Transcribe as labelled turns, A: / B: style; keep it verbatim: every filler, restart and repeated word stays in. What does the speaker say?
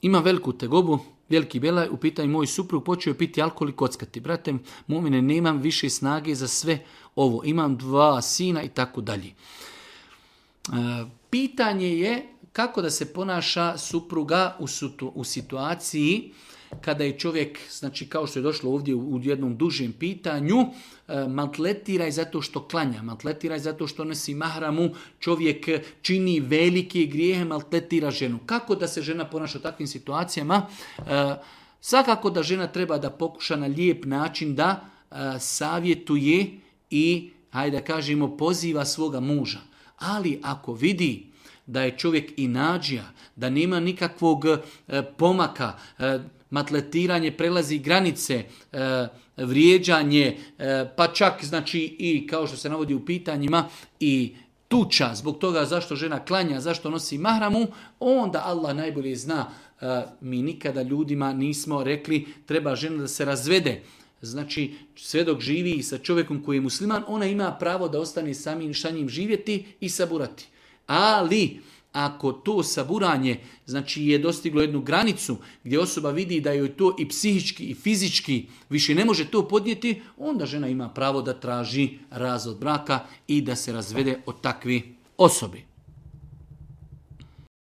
A: ima veliku tegobu, veliki belaj, u pitanju moj suprug počeo je piti alkohol i kockati. Brate, momine, nemam više snage za sve ovo. Imam dva sina i tako dalje. Pitanje je kako da se ponaša supruga u, situ, u situaciji kada je čovjek, znači kao što je došlo ovdje u, u jednom dužem pitanju, e, maltretiraj zato što klanja, maltretiraj zato što nosi mahramu, čovjek čini velike grijehe, maltretira ženu. Kako da se žena ponaša u takvim situacijama? E, svakako da žena treba da pokuša na lijep način da e, savjetuje i, hajde da kažemo, poziva svoga muža. Ali ako vidi da je čovjek inađija, da nema nikakvog e, pomaka, e, maltretiranje prelazi granice, e, vrijeđanje, e, pa čak znači i kao što se navodi u pitanjima i tuča zbog toga zašto žena klanja, zašto nosi mahramu, onda Allah najbolje zna. E, mi nikada ljudima nismo rekli treba žena da se razvede. Znači, sve dok živi sa čovjekom koji je musliman, ona ima pravo da ostane samim sa njim živjeti i saburati. Ali, ako to saburanje znači, je dostiglo jednu granicu gdje osoba vidi da joj to i psihički i fizički više ne može to podnijeti, onda žena ima pravo da traži razvod braka i da se razvede od takve osobe.